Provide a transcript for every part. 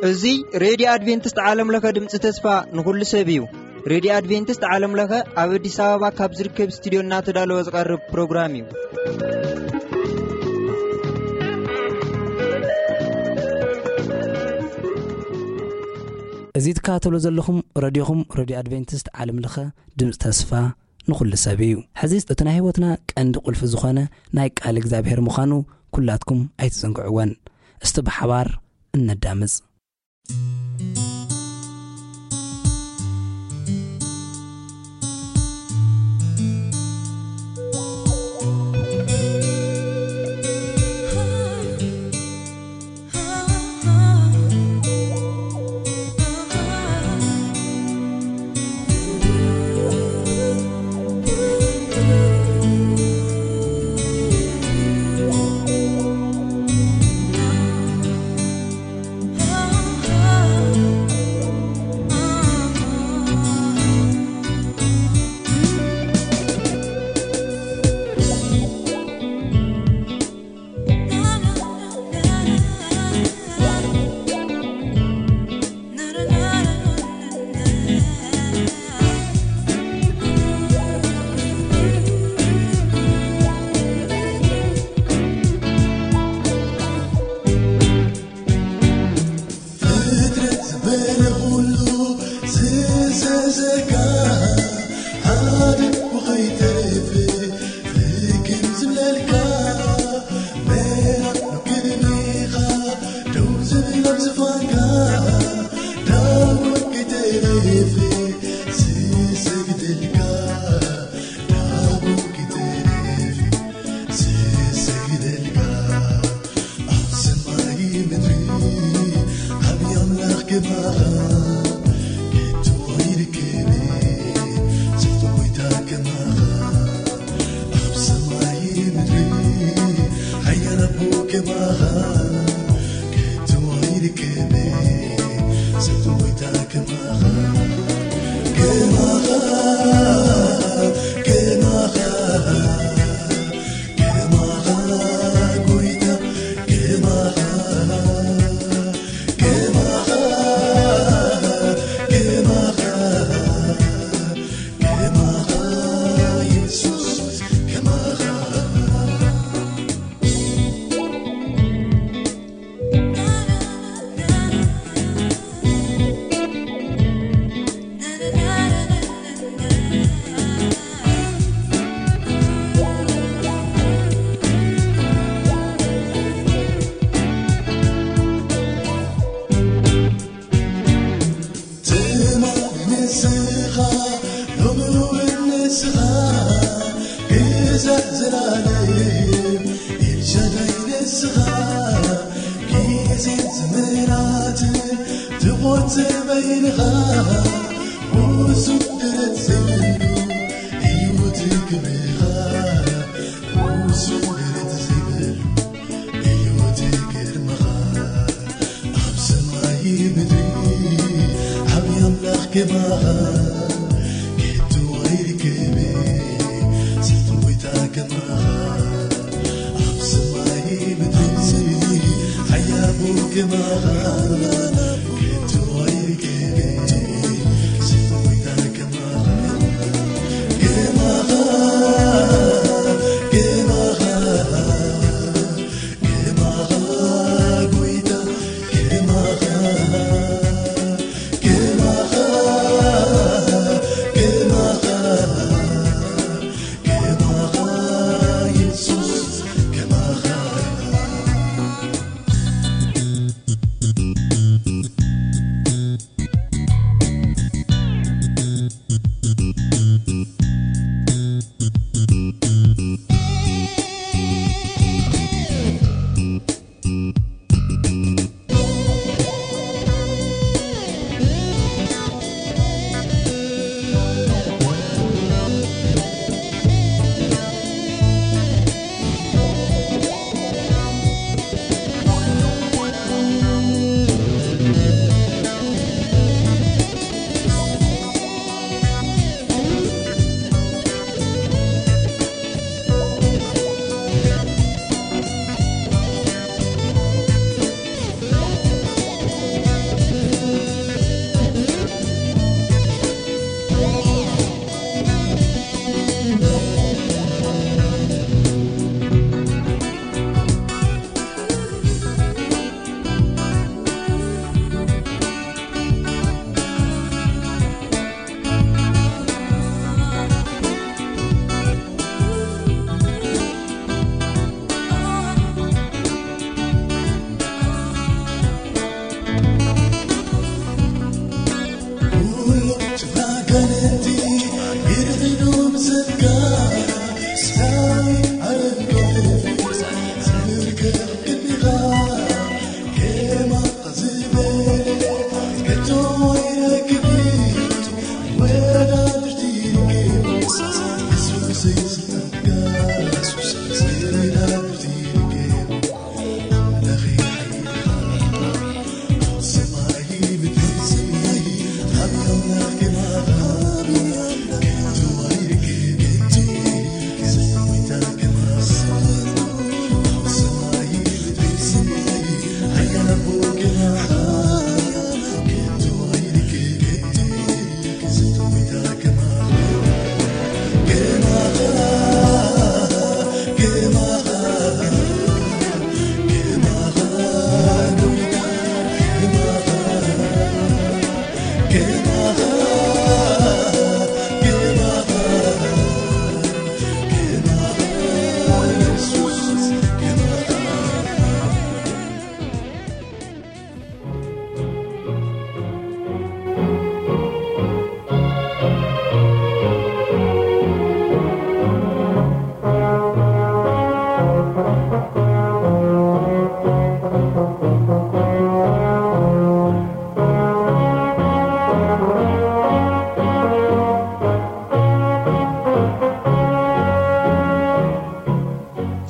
እዚ ሬድዮ ኣድቬንቲስት ዓለም ለኸ ድምፂ ተስፋ ንኹሉ ሰብ እዩ። ሬድዮ ኣድቬንቲስት ዓለም ለኸ ኣብ ኣዲስ ኣበባ ካብ ዝርከብ ስቱዲዮ እናተዳለወ ዝቐርብ ፕሮግራም እዩ። እዚ ትከታተሉ ዘለኹም ረድዮኹም ሬድዮ ኣድቬንቲስት ዓለም ለኸ ድምፂ ተስፋ ንኹሉ ሰብ እዩ። ሕዚ እቲ ናይ ህይወትና ቀንዲ ቁልፊ ዝኾነ ናይ ቃል እግዚኣብሔር ምዃኑ ኩላትኩም ኣይትዘንግዕወን። እስቲ ብሓባር እነዳምፅ።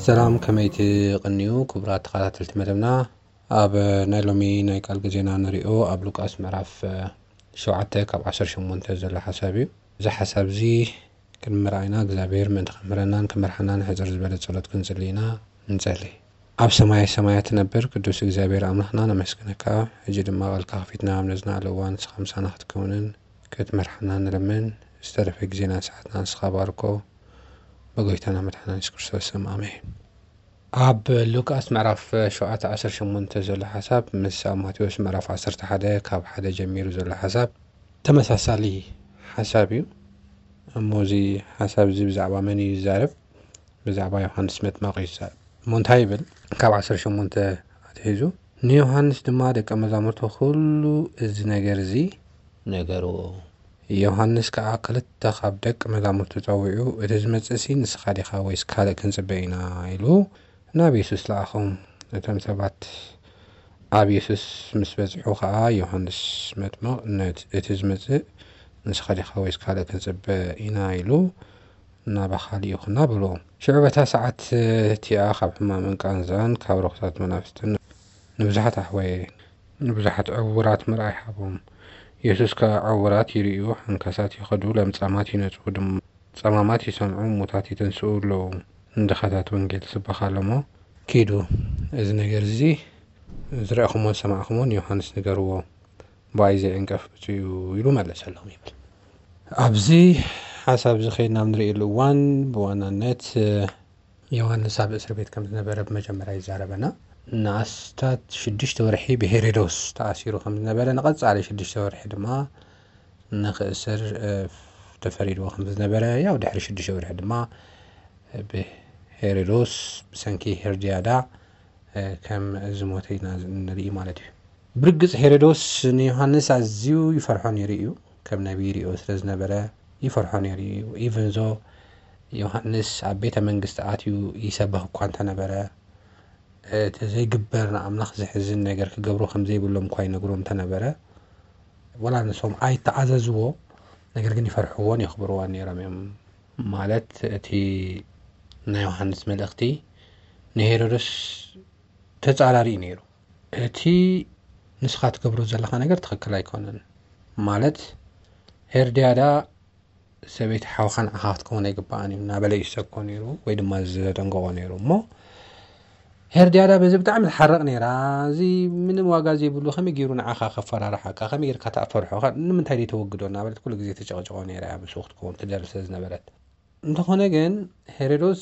ሰላም፣ ከመይ ትቕንዩ ክቡራት ተኸታተልቲ መደብና? ኣብ ናይ ሎሚ ናይ ቃል ግዜና ንሪኦ ኣብ ሉቃስ ምዕራፍ ሸውዓተ ካብ ዓሰርተ ሸሞንተ ዘሎ ሓሳብ እዩ። እዚ ሓሳብ እዚ ክንምርኣይና እግዚኣብሔር ምእንቲ ከምህረናን ክመርሓናን ሕፅር ዝበለ ጸሎት ክንጽሊ ኢና። ንጸሊ። ኣብ ሰማይ ሰማያት ትነብር ቅዱስ እግዚኣብሔር ኣምላኽና ነመስግነካ። ሕጂ ድማ ቃልካ ከፊትና ኣብ ነዝናኣለ እዋን ንስኻ ምሳና ክትከውንን ክትመርሓና ንለምን። ዝተረፈ ግዜና ሰዓትና ንስኻ ባርኮ። ብጎይታና መድሓና የሱስ ክርስቶስ ስም ኣሜን። ኣብ ሉቃስ ምዕራፍ ሸውዓተ ዓሰርተ ሸሞንተ ዘሎ ሓሳብ ምስ ኣብ ማቴዎስ ምዕራፍ ዓሰርተ ሓደ ካብ ሓደ ጀሚሩ ዘሎ ሓሳብ ተመሳሳሊ ሓሳብ እዩ። እሞ እዚ ሓሳብ እዚ ብዛዕባ መን እዩ ዝዛረብ? ብዛዕባ ዮሃንስ መጥመቕ እዩ ዝዛረብ። እሞ እንታይ ይብል? ካብ ዓሰርተ ሸሞንተ ኣትሒዙ፣ ንዮሃንስ ድማ ደቀ መዛሙርቱ ኩሉ እዚ ነገር እዚ ነገርዎ። ዮሃንስ ከኣ ክልተ ካብ ደቂ መዛሙርቱ ጸዊዑ፣ "እቲ ዝመጽእሲ ንስኻ ዲኻ ወይስ ካልእ ክንጽበ ኢና?" ኢሉ ናብ የሱስ ለኣኾም። እቶም ሰባት ኣብ የሱስ ምስ በጽሑ ኸኣ ዮሃንስ መጥምቕ፣ "ነት-፣ እቲ ዝመጽእ ንስኻ ዲኻ ወይስ ካልእ ክንጽበ ኢና?" ኢሉ ናባኻ ልኢኹና በልዎ። ሽዑ በታ ሰዓት እቲኣ ካብ ሕማምን ቃንዛን ካብ ርኹሳት መናፍስትን ንብዙሓት ኣሕወየ፣ ንብዙሓት ዕዉራት ምርኣይ ሃቦም። የሱስ ከኣ ዕዉራት ይርእዩ፣ ሓንካሳት ይኸዱ፣ ለምጻማት ይነጽሁ፣ ድም-፣ ጸማማት ይሰምዑ፣ ሙታት ይተንስኡ ኣለዉ፣ ንድኻታት ወንጌል ይስበኽ ኣሎ እሞ፣ "ኪዱ፣ እዚ ነገር እዚ ዝረእኹሞን ዝሰማዕኹሞን ንዮሃንስ ንገርዎ፣ ብኣይ ዘይዕንቀፍ ብፁዕ እዩ" ኢሉ መለሰሎም ይብል። ኣብዚ ሓሳብ እዚ ኸይድና ኣብ ንርእየሉ እዋን ብዋናነት፣ እ፣ ዮሃንስ ኣብ እስር ቤት ከም ዝነበረ ብመጀመርያ ይዛረበና። ንኣስታት ሽዱሽተ ወርሒ ብሄሮዶስ ተኣሲሩ ከም ዝነበረ፣ ንቐጻሊ ሽዱሽተ ወርሒ ድማ ንኽእሰር፣ እ፣ ተፈሪድዎ ከም ዝነበረ፣ ያው ድሕሪ ሽዱሽተ ወርሒ ድማ ብሄሮዶስ ብሰንኪ ሄርድያዳ፣ እ፣ ከም ዝሞተ ኢና ንርኢ ማለት እዩ። ብርግጽ ሄሮዶስ ንዮሃንስ ኣዝዩ ይፈርሖ ነይሩ እዩ። ከም ነቢይ ይርእዮ ስለ ዝነበረ ይፈርሖ ነይሩ እዩ። ኢቨን ዞ ዮሃንስ ኣብ ቤተ መንግስቲ ኣትዩ ይሰብኽ እኳ እንተነበረ፣ እቲ ዘይግበር ንኣምላኽ ዘሕዝን ነገር ክገብሩ ከም ዘይብሎም እኳ ይነግሮም እንተነበረ፣ ወላ ንሶም ኣይተኣዘዝዎ፣ ነገር ግን ይፈርሕዎን የኽብርዎን ነይሮም እዮም። ማለት እቲ ናይ ዮሃንስ መልእኽቲ ንሄሮድስ ተጻራሪ እዩ ነይሩ። እቲ ንስኻ ትገብሮ ዘለኻ ነገር ትኽክል ኣይኮነን። ማለት ሄርድያዳ ሰበይቲ ሓውኻ ንዓኻ ክትከውን ኣይግባኣን እዩ እናበለ እዩ ዝሰብኮ ነይሩ፣ ወይ ድማ ዘደንገቖ ነይሩ። እሞ ሄርድያዳ በዚ ብጣዕሚ ትሓርቕ ነይራ። "እዚ ምንም ዋጋ ዘይብሉ ከመይ ገይሩ ንዓኻ ከፈራርሓካ? ከመይ ጌርካ ትፈርሖ? ከ-፣ ንምንታይ ደይተወግዶ?" እናበለት ኩሉ ግዜ ተጨቕጭቖ ነይራ እያ፣ ምስኡ ክትከውን ትደሊ ስለ ዝነበረት። እንተኾነ ግን ሄሮዶስ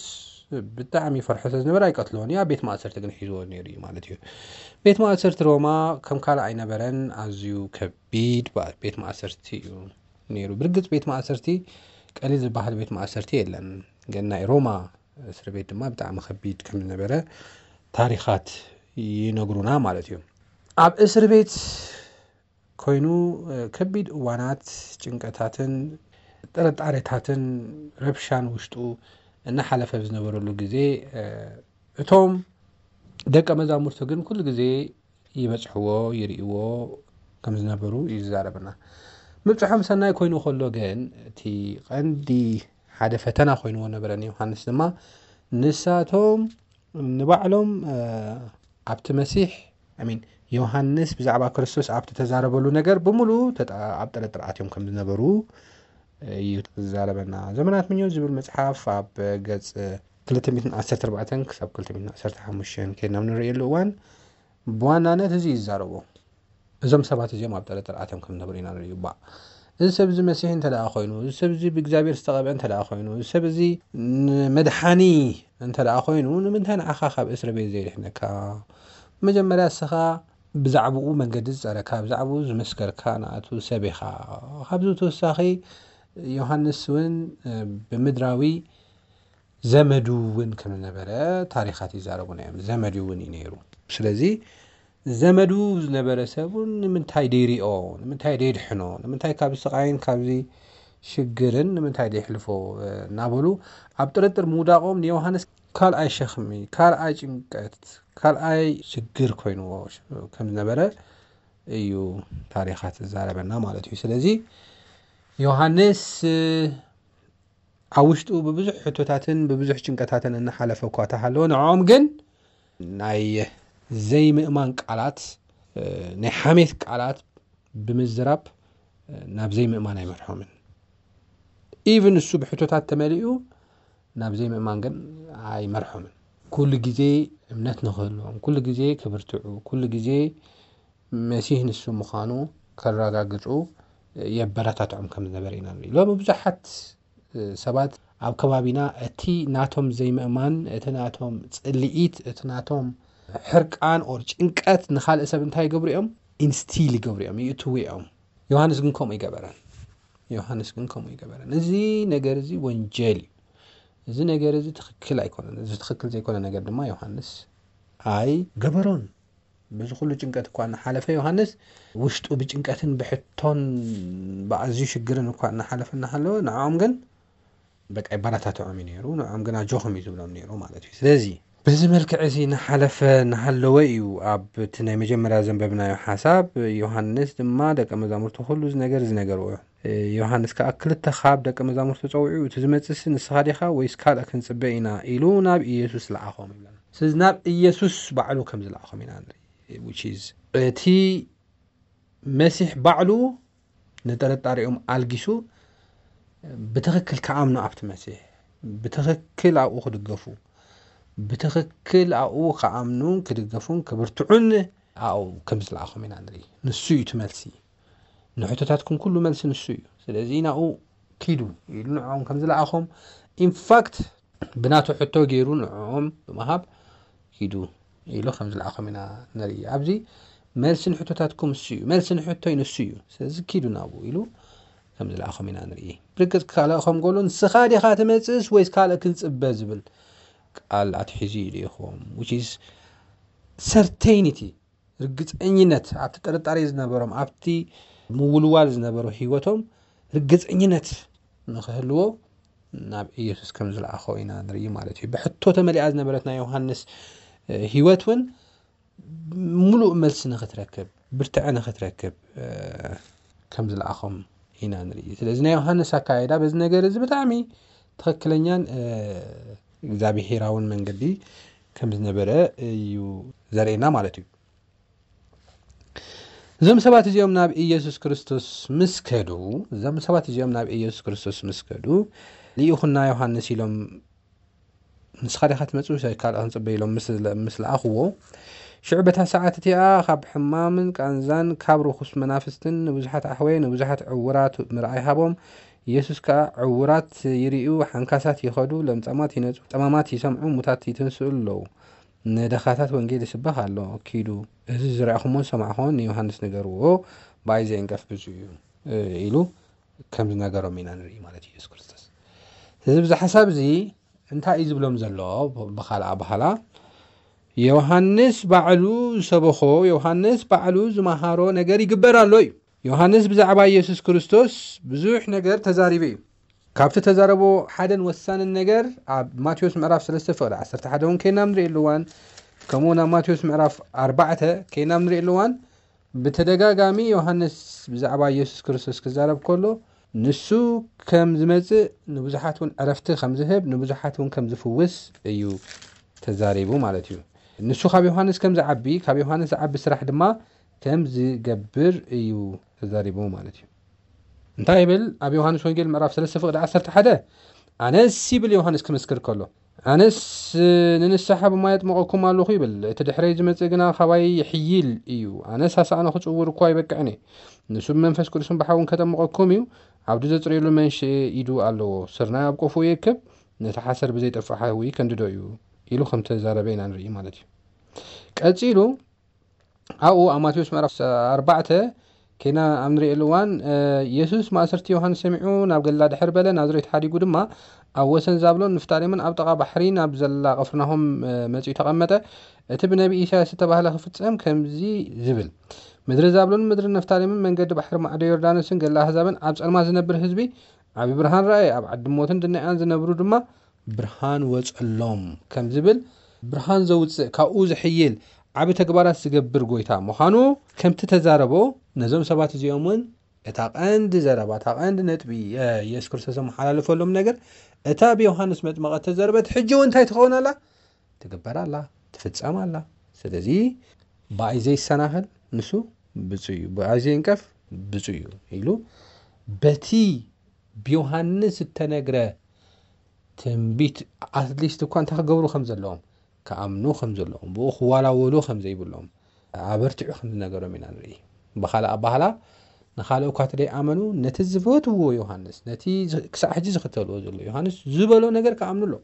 ብጣዕሚ ይፈርሖ ስለ ዝነበረ ኣይቀትልዎን እዩ። ኣብ ቤት ማእሰርቲ ግን ሒዝዎ ነይሩ እዩ ማለት እዩ። ቤት ማእሰርቲ ሮማ ከም ካልእ ኣይነበረን፣ ኣዝዩ ከቢድ በ-፣ ቤት ማእሰርቲ እዩ ነይሩ። ብርግጽ ቤት ማእሰርቲ ቀሊል ዝበሃል ቤት ማእሰርቲ የለን፣ ግን ናይ ሮማ እስር ቤት ድማ ብጣዕሚ ከቢድ ከም ዝነበረ ታሪኻት ይነግሩና ማለት እዩ። ኣብ እስር ቤት ኮይኑ፣ እ፣ ከቢድ እዋናት ጭንቀታትን ጥርጣሬታትን ረብሻን ውሽጡ እናሓለፈ ኣብ ዝነበረሉ ግዜ፣ እ፣ እቶም ደቀ መዛሙርቱ ግን ኩሉ ግዜ ይበጽሕዎ፣ ይርእይዎ ከም ዝነበሩ እዩ ዝዛረበና። ምብጽሖም ሰናይ ኮይኑ ከሎ ግን፣ እቲ ቀንዲ ሓደ ፈተና ኮይንዎ ነበረ ንዮሃንስ ድማ፣ ንሳቶም ንባዕሎም፣ እ፣ ኣብቲ መሲሕ፣ I mean፣ ዮሃንስ ብዛዕባ ክርስቶስ ኣብቲ ተዛረበሉ ነገር ብምሉእ ተጣ-፣ ኣብ ጥርጥር ኣትዮም ከም ዝነበሩ እዩ ዝዛረበና። ዘመናት ምኞት ዝብል መጽሓፍ ኣብ ገጽ ክልተ ሚእትን ዓሰርተ ኣርባዕተን ክሳብ ክልተ ሚእትን ዓሰርተ ሓሙሽተን ከይድና ኣብ ንርእየሉ እዋን ብዋናነት እዚ እዩ ዝዛረቦ። እዞም ሰባት እዚኦም ኣብ ጥርጥር ኣትዮም ከም ዝነበሩ ኢና ንርእዩ። እባ፣ እዚ ሰብ እዚ መሲሕ እንተ ደኣ ኮይኑ፣ እዚ ሰብ እዚ ብእግዚኣብሔር ዝተቐብአ እንተ ደኣ ኮይኑ፣ እዚ ሰብ እዚ ንመድሓኒ እንተ ደኣ ኮይኑ፣ ንምንታይ ንዓኻ ካብ እስሪ ቤት ዘይድሕነካ? መጀመርያ እስኻ ብዛዕባኡ መንገዲ ዝጸረካ፣ ብዛዕባኡ ዝመስከርካ ንኣቱ ሰብ ኢኻ። ካብዚ ብተወሳኺ ዮሃንስ እውን፣ እ፣ ብምድራዊ ዘመዱ እውን ከም ዝነበረ ታሪኻት ይዛረቡና እዮም። ዘመዱ እውን እዩ ነይሩ። ስለዚ ዘመዱ ዝነበረ ሰብ እውን ንምንታይ ደይሪኦ፣ ንምንታይ ደይድሕኖ፣ ንምንታይ ካብዚ ስቓይን ካብዚ ሽግርን ንምንታይ ደይሕልፎ፣ እ፣ እናበሉ ኣብ ጥርጥር ምውዳቖም ንዮሃንስ ካልኣይ ሸኽሚ፣ ካልኣይ ጭንቀት፣ ካልኣይ ሽግር ኮይንዎ ከም ዝነበረ እዩ ታሪኻት ዝዛረበና ማለት እዩ። ስለዚ ዮሃንስ፣ እ፣ ኣብ ውሽጡ ብብዙሕ ሕቶታትን ብብዙሕ ጭንቀታትን እናሓለፈ እኳ ተሃለወ፣ ንዕኦም ግን ናይ ዘይምእማን ቃላት፣ ናይ ሓሜት ቃላት ብምዝራብ ናብ ዘይምእማን ኣይመርሖምን። ኢቭን እሱ ብሕቶታት ተመሊኡ ናብ ዘይምእማን ግን ኣይመርሖምን። ኩሉ ግዜ እምነት ንክህልዎም፣ ኩሉ ግዜ ክብርትዑ፣ ኩሉ ግዜ መሲህ ንሱ ምዃኑ ከረጋግጹ የበረታትዖም ከም ዝነበረ ኢና ንርኢ። ሎሚ ብዙሓት ሰባት ኣብ ከባቢና እቲ ናቶም ዘይምእማን፣ እቲ ናቶም ጽልኢት፣ እቲ ናቶም ሕርቃን ኦር ጭንቀት ንኻልእ ሰብ እንታይ ይገብሩ እዮም? ኢንስቲል ይገብሩ እዮም፣ ይእትዉ እዮም። ዮሃንስ ግን ከምኡ ይገበረን። ዮሃንስ ግን ከምኡ ይገበረን። እዚ ነገር እዚ ወንጀል እዩ። እዚ ነገር እዚ ትኽክል ኣይኮነን። እዚ ትኽክል ዘይኮነ ነገር ድማ ዮሃንስ ኣይገበሮን። በዚ ኩሉ ጭንቀት እኳ እናሓለፈ ዮሃንስ ውሽጡ ብጭንቀትን ብሕቶን ብኣዝዩ ሽግርን እኳ እናሓለፈ እናሃለወ ንዕኦም ግን በቃ ይበረታትዖም እዩ ነይሩ። ንዕኦም ግን ኣጆኹም እዩ ዝብሎም ነይሩ ማለት እዩ። ስለዚ በዚ መልክዕ እዚ እናሓለፈ እናሃለወ እዩ ኣብ እቲ ናይ መጀመርያ ዘንበብናዮ ሓሳብ። ዮሃንስ ድማ ደቀ መዛሙርቱ ኩሉ እዚ ነገር ዝነገርዎ እዩ። ዮሃንስ ከኣ ክልተ ካብ ደቀ መዛሙርቱ ጸዊዑ፣ "እቲ ዝመጽእሲ ንስኻ ዲኻ ወይስ ካልእ ክንጽበ ኢና?" ኢሉ ናብ ኢየሱስ ለኣኾም ይብለና። ስለዚ ናብ ኢየሱስ ባዕሉ ከም ዝለኣኾም ኢና ንርኢ። Which is እቲ መሲሕ ባዕሉ ንጥርጣሬኦም ኣልጊሱ ብትኽክል ክኣምኑ ኣብቲ መሲሕ፣ ብትኽክል ኣብኡ ክድገፉ፣ ብትኽክል ኣብኡ ክኣምኑን ክድገፉን ክብርትዑን ኣብኡ ከም ዝለኣኾም ኢና ንርኢ። ንሱ እዩ እቲ መልሲ። ንሕቶታትኩም ኩሉ መልሲ ንሱ እዩ። ስለዚ ናብኡ ኪዱ ኢሉ ንዕኦም ከም ዝለኣኾም፣ ኢንፋክት ብናቱ ሕቶ ገይሩ ንዕኦም ብምሃብ ኪዱ ኢሉ ከም ዝለኣኾም ኢና ንርኢ። ኣብዚ መልሲ ንሕቶታትኩም እሱ እዩ፣ መልሲ ንሕቶይ ንሱ እዩ፣ ስለዚ ኪዱ ናብኡ ኢሉ ከም ዝለኣኾም ኢና ንርኢ። ብርግጽ ክልእኾም ከሎ፣ "ንስኻ ዲኻ ትመጽእስ ወይስ ካልእ ክንጽበ?" ዝብል ቃል ኣትሒዙ እዩ ልኢኽዎም። Which is certainty፣ ርግጸኝነት፣ ኣብቲ ጥርጣሬ ዝነበሮም፣ ኣብቲ ምውልዋል ዝነበሮ ህይወቶም ርግጸኝነት ንኽህልዎ ናብ ኢየሱስ ከም ዝለኣኾ ኢና ንርኢ ማለት እዩ። ብሕቶ ተመሊኣ ዝነበረት ናይ ዮሃንስ፣ እ፣ ህይወት እውን ምሉእ መልሲ ንኽትረክብ፣ ብርትዐ ንኽትረክብ፣ እ፣ ከም ዝለኣኾም ኢና ንርኢ። ስለዚ ናይ ዮሃንስ ኣካይዳ በዚ ነገር እዚ ብጣዕሚ ትኽክለኛን፣ እ፣ እግዚኣብሄራውን መንገዲ ከም ዝነበረ እዩ ዘርእየና ማለት እዩ። እዞም ሰባት እዚኦም ናብ ኢየሱስ ክርስቶስ ምስ ከዱ፣ እዞም ሰባት እዚኦም ናብ ኢየሱስ ክርስቶስ ምስ ከዱ፣ "ልኢኹና ዮሃንስ" ኢሎም፣ "ንስኻ ዲኻ ትመጽእ ወይስ ካልእ ክንጽበ?" ኢሎም ምስ፣ ምስ ለኣኽዎ፣ ሽዑ በታ ሰዓት እቲኣ ካብ ሕማምን ቃንዛን ካብ ርኹስ መናፍስትን ንብዙሓት ኣሕወየ፣ ንብዙሓት ዕውራት ምርኣይ ሃቦም። ኢየሱስ ከኣ ዕውራት ይርእዩ፣ ሓንካሳት ይኸዱ፣ ለምጻማት ይነጹ፣ ጠማማት ይሰምዑ፣ ሙታት ይትንስኡ ኣለዉ። ንደኻታት ወንጌል ይስበኽ ኣሎ። ኪዱ፣ እዚ ዝረኣኹሞን ዝሰማዕኹሞን ንዮሃንስ ንገርዎ፣ ብኣይ ዘየንቀፍ ብፁዕ እዩ፣ እ፣ ኢሉ ከም ዝነገሮም ኢና ንርኢ ማለት እዩ ኢየሱስ ክርስቶስ። ስለዚ ብዚ ሓሳብ እዚ እንታይ እዩ ዝብሎም ዘሎ? ብኻልእ ኣበሃህላ፣ ዮሃንስ ባዕሉ ዝሰበኾ፣ ዮሃንስ ባዕሉ ዝመሃሮ ነገር ይግበር ኣሎ እዩ። ዮሃንስ ብዛዕባ ኢየሱስ ክርስቶስ ብዙሕ ነገር ተዛሪቡ እዩ። ካብቲ ተዛረቦ ሓደን ወሳንን ነገር ኣብ ማቴዎስ ምዕራፍ ሰለስተ ፍቕዲ ዓሰርተ ሓደ እውን ከይና ንርእየሉ እዋን፣ ከምኡ እውን ኣብ ማቴዎስ ምዕራፍ ኣርባዕተ ከይና ንርእየሉ እዋን፣ ብተደጋጋሚ ዮሃንስ ብዛዕባ ኢየሱስ ክርስቶስ ክዛረብ ከሎ፣ ንሱ ከም ዝመጽእ፣ ንብዙሓት እውን ዕረፍቲ ከም ዝህብ፣ ንብዙሓት እውን ከም ዝፍውስ እዩ ተዛሪቡ ማለት እዩ። ንሱ ካብ ዮሃንስ ከም ዝዓቢ፣ ካብ ዮሃንስ ዝዓቢ ስራሕ ድማ ከም ዝገብር እዩ ተዛሪቡ ማለት እዩ። እንታይ ይብል? ኣብ ዮሃንስ ወንጌል ምዕራፍ ሰለስተ ፍቕዲ ዓሰርተ ሓደ፣ "ኣነስ" ይብል ዮሃንስ ክምስክር ከሎ፣ "ኣነስ ንንስሓ ብማይ ኣጥምቐኩም ኣለኹ" ይብል፣ "እቲ ድሕረይ ዝመጽእ ግና ካባይ ይሕይል እዩ፣ ኣነስ ኣሳእኑ ክጽውር እኳ ኣይበቅዕን እየ። ንሱ ብመንፈስ ቅዱስን ብሓውን ከጠምቐኩም እዩ፣ ዓውዲ ዘጽርየሉ መንሽኤ ኢዱ ኣለዎ፣ ስርናይ ኣብ ቆፎኡ ይእክብ፣ ነቲ ሓሰር ብዘይጠፍእ ሓዊ ከንድዶ እዩ" ኢሉ ከም ተዛረበ ኢና ንርኢ ማለት እዩ። ቀጺሉ ኣብኡ ኣብ ማቴዎስ ምዕራፍ ኣርባዕተ ኬና ኣብ ንርእየሉ እዋን፣ እ፣ የሱስ ማእሰርቲ ዮሃንስ ሰሚዑ ናብ ገሊላ ድሕር በለ፣ ናዝሬት ሓዲጉ ድማ ኣብ ወሰን ዛብሎን ንፍታሌምን ኣብ ጥቓ ባሕሪ ናብ ዘላ ቅፍርናሆም፣ እ፣ መጺኡ ተቐመጠ። እቲ ብነቢ ኢሳያስ ዝተባህለ ክፍጸም ከምዚ ዝብል፣ "ምድሪ ዛብሎን ምድሪ ነፍታሌምን መንገዲ ባሕሪ ማዕዶ ዮርዳኖስን ገሊላ ኣህዛብን ኣብ ጸልማት ዝነብር ህዝቢ ዓቢ ብርሃን ረኣየ፣ ኣብ ዓዲ ሞትን ድናያን ዝነብሩ ድማ ብርሃን ወጸሎም" ከም ዝብል፣ ብርሃን ዘውጽእ፣ ካብኡ ዝሕይል ዓቢ ተግባራት ዝገብር ጎይታ ምዃኑ ከምቲ ተዛረቦ፣ ነዞም ሰባት እዚኦም እውን እታ ቀንዲ ዘረባ፣ እታ ቀንዲ ነጥቢ፣ እ፣ ኢየሱስ ክርስቶስ ዘመሓላለፈሎም ነገር፣ እታ ብዮሃንስ መጥመቐ እተዘርበት ሕጂ እውን እንታይ ትኸውን ኣላ? ትግበር ኣላ፣ ትፍጸም ኣላ። ስለዚ ብኣይ ዘይሰናኸል ንሱ ብፁዕ እዩ፣ ብኣይ ዘይንቀፍ ብፁዕ እዩ ኢሉ በቲ ብዮሃንስ እተነግረ ትንቢት ኣትሊስት እኳ እንታይ ክገብሩ ከም ዘለዎም፣ ክኣምኑ ከም ዘለዎም፣ ብኡ ክዋላወሉ ከም ዘይብሎም ኣበርቲዑ ከም ዝነገሮም ኢና ንርኢ። ብኻልእ ኣባህላ ንኻልእ እኳ እቲ ደይኣመኑ ነቲ ዝፈትዎ ዮሃንስ፣ ነቲ ዝ- ክሳዕ ሕጂ ዝኽተልዎ ዘሎ ዮሃንስ ዝበሎ ነገር ክኣምኑ ኣለዎም።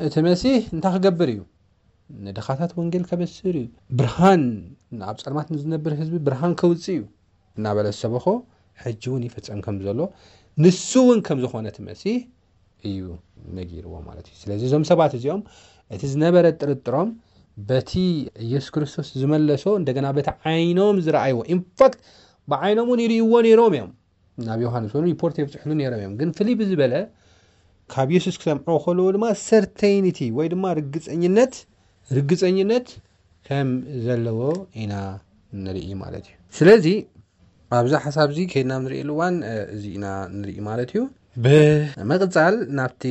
እቲ መሲህ እንታይ ክገብር እዩ? ንድኻታት ወንጌል ከበስር እዩ። ብርሃን፣ ኣብ ጸልማት ንዝነብር ህዝቢ ብርሃን ከውጽእ እዩ እናበለ ዝሰበኾ ሕጂ እውን ይፍጸም ከም ዘሎ፣ ንሱ እውን ከም ዝኾነ እቲ መሲህ እዩ ነጊርዎ ማለት እዩ። ስለዚ እዞም ሰባት እዚኦም እቲ ዝነበረ ጥርጥሮም በቲ ኢየሱስ ክርስቶስ ዝመለሶ እንደገና በቲ ዓይኖም ዝረኣይዎ፣ ኢንፋክት ብዓይኖም እውን ይርእይዎ ነይሮም እዮም። ናብ ዮሃንስ እውን ሪፖርት የብፅሕሉ ነይሮም እዮም። ግን ፍልይ ብዝበለ ካብ ኢየሱስ ክሰምዕዎ ከለዎ ድማ ሰርቴይኒቲ ወይ ድማ ርግፀኝነት ርግፀኝነት ከም ዘለዎ ኢና ንርኢ ማለት እዩ። ስለዚ ኣብዚ ሓሳብ እዚ ከይድና ንርእየሉ እዋን፣ እ፣ እዚ ኢና ንርኢ ማለት እዩ። ብምቕጻል ናብቲ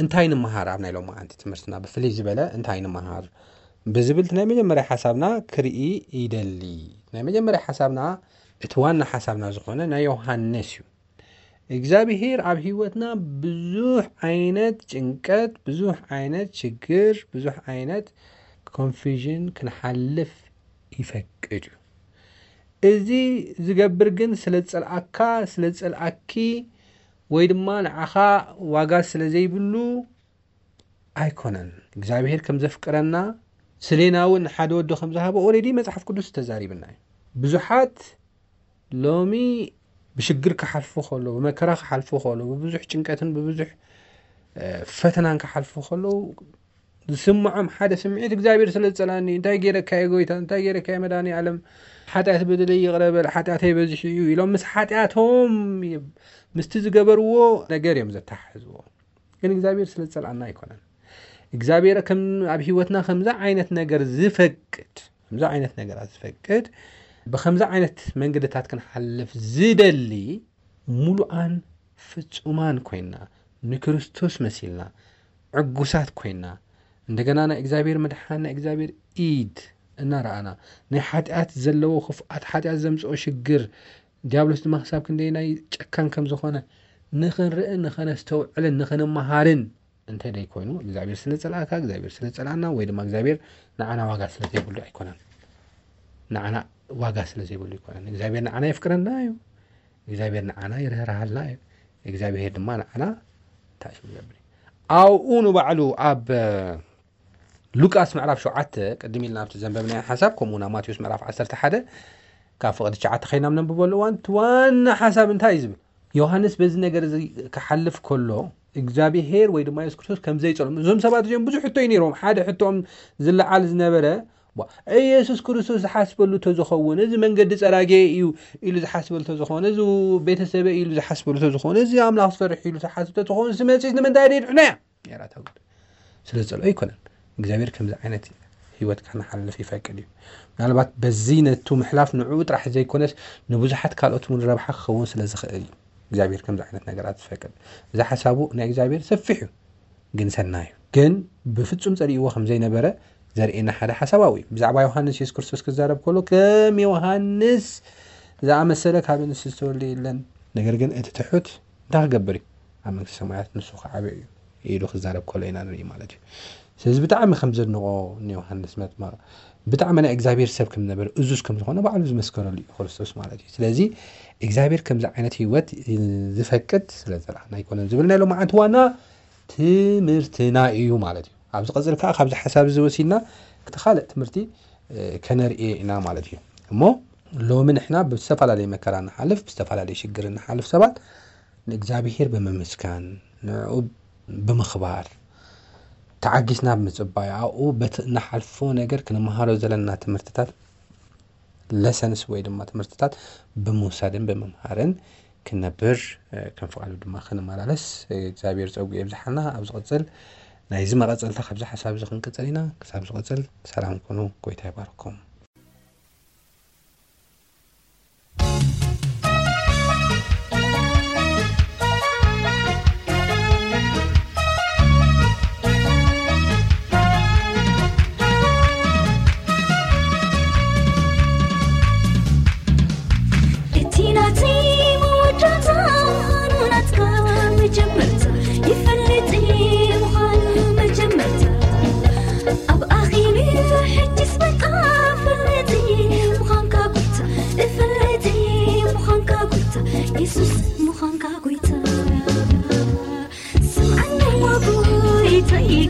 እንታይ ንምሃር ኣብ ናይ ሎማዓንቲ ትምህርትና ብፍልይ ዝበለ እንታይ ንምሃር ብዝብል ናይ መጀመርያ ሓሳብና ክርኢ ይደሊ። ናይ መጀመርያ ሓሳብና፣ እቲ ዋና ሓሳብና ዝኾነ ናይ ዮሃንስ እዩ። እግዚኣብሄር ኣብ ህይወትና ብዙሕ ዓይነት ጭንቀት፣ ብዙሕ ዓይነት ሽግር፣ ብዙሕ ዓይነት ኮንፊዥን ክንሓልፍ ይፈቅድ እዩ። እዚ ዝገብር ግን ስለ ዝጸልኣካ፣ ስለ ዝጸልኣኪ ወይ ድማ ንዓኻ ዋጋ ስለ ዘይብሉ ኣይኮነን። እግዚኣብሄር ከም ዘፍቅረና፣ ስሌና እውን ሓደ ወዶ ከም ዝሃቦ ኦልሬዲ መጽሓፍ ቅዱስ ተዛሪብና እዩ። ብዙሓት ሎሚ ብሽግር ክሓልፉ ከለዉ፣ ብመከራ ክሓልፉ ከለዉ፣ ብብዙሕ ጭንቀትን ብብዙሕ፣ እ፣ ፈተናን ክሓልፉ ከለዉ ዝስምዖም ሓደ ስምዒት እግዚኣብሔር ስለ ዝጸልኣኒ፣ እንታይ ገይረካ እየ ጎይታ፣ እንታይ ገይረካ እየ መድኃኔ ዓለም፣ ሓጢኣት በደለይ ይቕረ በል፣ ሓጢኣተይ በዚሑ እዩ ኢሎም ምስ ሓጢኣቶም ምስቲ ዝገበርዎ ነገር እዮም ዘተሓሕዝዎ። ግን እግዚኣብሔር ስለ ዝጸልኣና ኣይኮነን። እግዚኣብሔር ከም ኣብ ህይወትና ከምዚ ዓይነት ነገር ዝፈቅድ፣ ከምዚ ዓይነት ነገራት ዝፈቅድ፣ ብከምዚ ዓይነት መንገድታት ክንሓልፍ ዝደሊ፣ ሙሉኣን ፍጹማን ኮይና፣ ንክርስቶስ መሲልና፣ ዕጉሳት ኮይና፣ እንደገና ናይ እግዚኣብሔር ምድሓን፣ ናይ እግዚኣብሔር ኢድ እናረኣና፣ ናይ ሓጢኣት ዘለዎ ክፍኣት፣ ሓጢኣት ዘምጽኦ ሽግር፣ ዲያብሎስ ድማ ክሳብ ክንደየናይ ጨካን ከም ዝኾነ ንኽንርእን ንኸነስተውዕልን ንኽንመሃርን እንተ ደይኮይኑ፣ እግዚኣብሔር ስለ ዝጸልኣካ፣ እግዚኣብሔር ስለ ዝጸልኣና፣ ወይ ድማ እግዚኣብሔር ንዓና ዋጋ ስለ ዘይብሉ ኣይኮነን። ንዓና ዋጋ ስለ ዘይብሉ ኣይኮነን። እግዚኣብሔር ንዓና የፍቅረና እዩ። እግዚኣብሔር ንዓና ይርህርሃልና እዩ። እግዚኣብሔር ድማ ንዓና እንታይ እዩ ዝገብር እዩ? ኣብኡ ንባዕሉ ኣብ ሉቃስ ምዕራፍ ሸውዓተ፣ ቅድም ኢልና ኣብቲ ዘንበብናዮ ሓሳብ፣ ከምኡ ናብ ማቴዎስ ምዕራፍ ዓሰርተ ሓደ፣ ካብ ፍቕዲ ትሽዓተ ኸይና ነንብበሉ እዋን፣ እቲ ዋና ሓሳብ እንታይ እዩ ዝብል? ዮሃንስ በዚ ነገር እዚ ክሓልፍ ከሎ፣ እግዚኣብሄር ወይ ድማ የሱስ ክርስቶስ ከም ዘይጸልኦም፣ እዞም ሰባት እዚኦም ብዙሕ ሕቶ እዩ ነይሮም። ሓደ ሕቶኦም ዝለዓል ዝነበረ፣ ዋ፣ ኢየሱስ ክርስቶስ ዝሓስበሉ ተዝኸውን፣ እዚ መንገዲ ጸራጌ እዩ ኢሉ ዝሓስበሉ ተዝኸውን፣ እዚ ቤተሰበ ኢሉ ዝሓስበሉ ተዝኸውን፣ እዚ ኣምላኽ ዝፈርሕ ኢሉ ዝሓስብ ተዝኸውን፣ እዚ መጺስ ንምንታይ ደይድሕኖ እያ? ነይራ እታ ጉድ። ስለ ዝጸልኦ ኣይኮነን። እግዚኣብሔር ከምዚ ዓይነት ህይወት ከነሓልፍ ይፈቅድ እዩ። ምናልባት በዚ ነቱ ምሕላፍ ንዕኡ ጥራሕ ዘይኮነስ ንብዙሓት ካልኦት እውን ረብሓ ክኸውን ስለ ዝኽእል እዩ እግዚኣብሔር ከምዚ ዓይነት ነገራት ዝፈቅድ። እዚ ሓሳቡ ናይ እግዚኣብሔር ሰፊሕ እዩ፣ ግን ሰናይ እዩ። ግን ብፍጹም ጸሊእዎ ከም ዘይነበረ ዘርእየና ሓደ ሓሳብ ኣብኡ እዩ። ብዛዕባ ዮሃንስ የሱስ ክርስቶስ ክዛረብ ከሎ ከም ዮሃንስ ዝኣመሰለ ካብ ኣንስቲ ዝተወልደ የለን። ነገር ግን እቲ ትሑት እንታይ ክገብር እዩ? ኣብ መንግስቲ ሰማያት ንሱ ክዓብዮ እዩ ኢሉ ክዛረብ ከሎ ኢና ንርኢ ማለት እዩ። ስለዚ ብጣዕሚ ከም ዘድንቆ ንዮሃንስ መጥመቕ ብጣዕሚ ናይ እግዚኣብሔር ሰብ ከም ዝነበረ እዙዝ ከም ዝኾነ ባዕሉ ዝመስከረሉ እዩ ክርስቶስ ማለት እዩ። ስለዚ እግዚኣብሔር ከምዚ ዓይነት ህይወት ዝፈቅድ ስለ ዝጸልኣና ኣይኮነን ዝብል ናይ ሎማዓንቲ ዋና ትምህርትና እዩ ማለት እዩ። ኣብዚ ቀጽል ከዓ ካብዚ ሓሳብ እዚ ወሲድና እቲ ካልእ ትምህርቲ፣ እ፣ ከነርኢ ኢና ማለት እዩ። እሞ ሎሚ ንሕና ብዝተፈላለየ መከራ ንሓልፍ፣ ብዝተፈላለየ ሽግር ንሓልፍ ሰባት ንእግዚኣብሔር ብምምስጋን፣ ንዕኡ ብምኽባር፣ ተዓጊስና ብምጽባይ፣ ኣብኡ በቲ እንሓልፎ ነገር ክንመሃሮ ዘለና ትምህርትታት፣ ለሰንስ ወይ ድማ ትምህርትታት ብምውሳድን ብምምሃርን ክንነብር፣ እ፣ ከም ፍቓዱ ድማ ክንመላለስ፣ እ፣ እግዚኣብሔር ጸጉ የብዝሓልና። ኣብ ዝቕጽል ናይዚ መቐጸልታ ካብዚ ሓሳብ እዚ ክንቅጽል ኢና። ክሳብ ዝቕጽል ሰላም ኩኑ። ጎይታ ይባርኩም።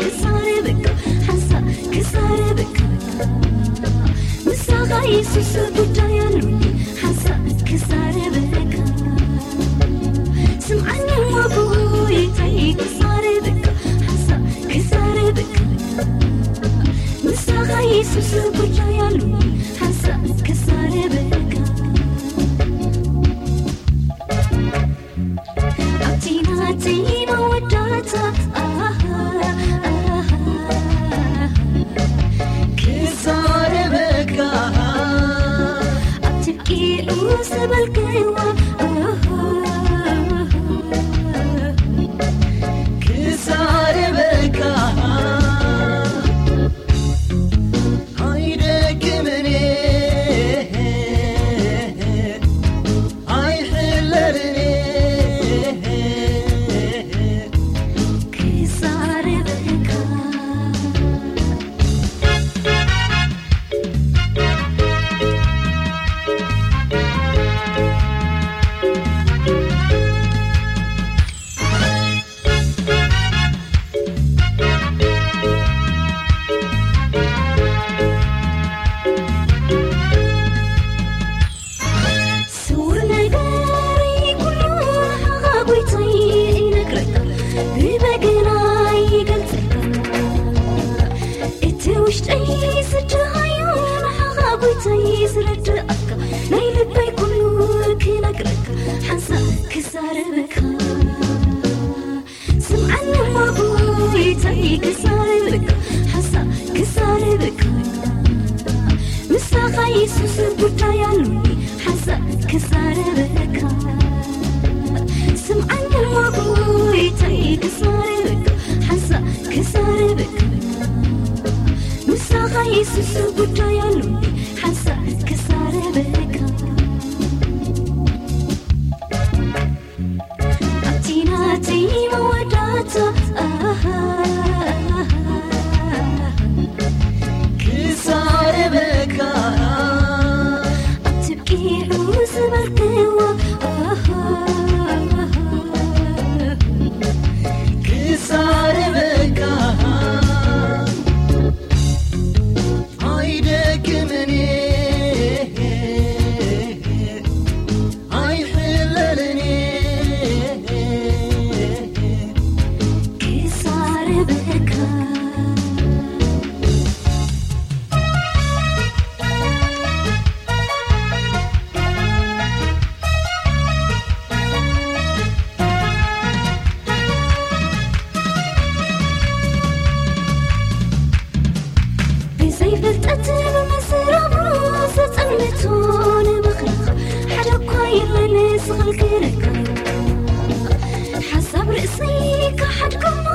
ክዛረበካ ሓንሳእ ክዛረበካ ምሳኻ የሱስ ጉዳይ ኣሉኒ ሓንሳእ ክዛረበካ ስምዓኒ እሞ ጎይታይ ክዛረበካ ሓንሳእ ክዛረበካ ምሳኻ የሱስ ጉዳይ ኣሉኒ ሓንሳእ ክዛረበካ ኣብቲ ናተይ መወዳእታ ኣሃ ኣሃ ክዛረበካ ኣብ ትብቂዑ ዝበልክዋ ኣሃ ክዛረበካ ኣይደክምን ኣይሕለልን ክዛረበካ ስውር ነገረይ ኩሉ ንዓኻ ጎይታይ ይነግረካ ብበገና ይገልጸካ እቲ ውሽጠይ ዝደሃዮ ንዓኻ ጎይታይ ዝረድኣካ ናይ ልበይ ኩሉ ክነግረካ ሓንሳእ ክዛረበካ ስምዓኒ እሞ ጎይታይ ክዛረበካ ሓንሳእ ክዛረበካ ምሳኻ የሱስ ጉዳይ ኣሉኒ ሓንሳእ ክዛረበካ ስምዓኒ እሞ ጎይታይ ክዛረበካ ሓንሳእ ክዛረበካ ምሳኻ የሱስ ጉዳይ ኣሉኒ ሓንሳእ ክዛረበካ ኣብቲ ናተይ መወዳእታ ኣሃ ክዛረበካ ኣብ ትብቂዑ ዝበልክዎ ኣሃ ክዛረበካ ኣይደክምን ኣይሕለልን ክዛረበካ ብዘይፍልጠት ብምዝራቡ ዘጸልምቱ ንምኽርኻ ሓደ እኳ የለን ዝኽልክለካ ሓሳብ ርእሰይ ክሓድጎሞ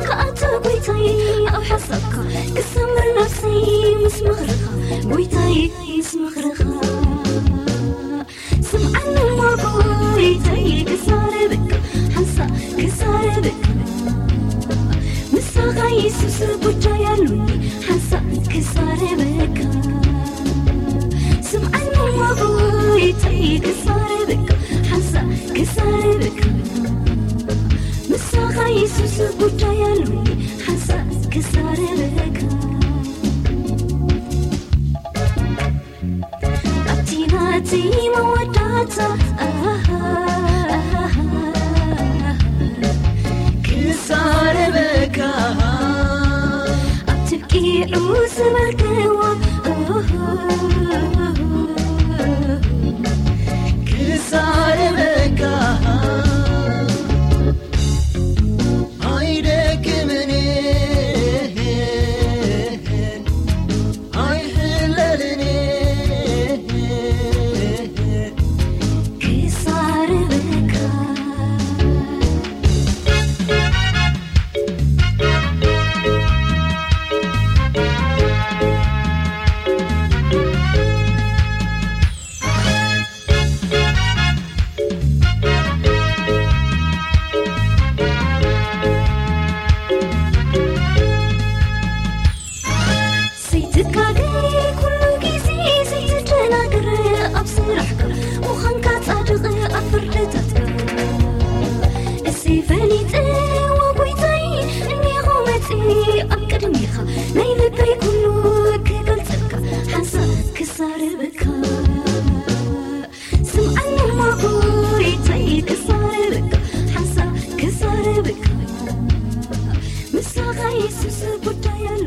ክኣቱ ጎይታይ ኣብ ሓሳብካ ክሰምር ነፍሰይ ምስ ምኽርኻ ጎይታይ ምስ ምኽርኻ ስምዓኒ እሞ ጎይታይ ክዛረበካ ሓንሳእ ክዛረበካ ምሳኻ የሱስ ጉዳይ ኣሉኒ ሓንሳእ ክዛረበካ ስምዓኒ እሞ ጎይታይ ክዛረበካ ሓንሳእ ክዛረበካ ምሳኻ የሱስ ጉዳይ ኣሉኒ ሓንሳእ ክዛረበካ ኣብቲ ናተይ መወዳእታ ኣሃ ክዛረበካ ኣብ ትብቂዑ ዝበልክዎ ክዛረበካ ኣይደክምን ኣይሕለልን ክዛረበካ ናይ ልበይ ኩሉ ክገልጸልካ ሓንሳብ ክዛረበካ። ስምዓኒ እሞ ጎይታይ ክዛረበካ፣ ሓንሳብ ክዛረበካ። ምሳኻ የሱስ ጉዳይ ኣሎ።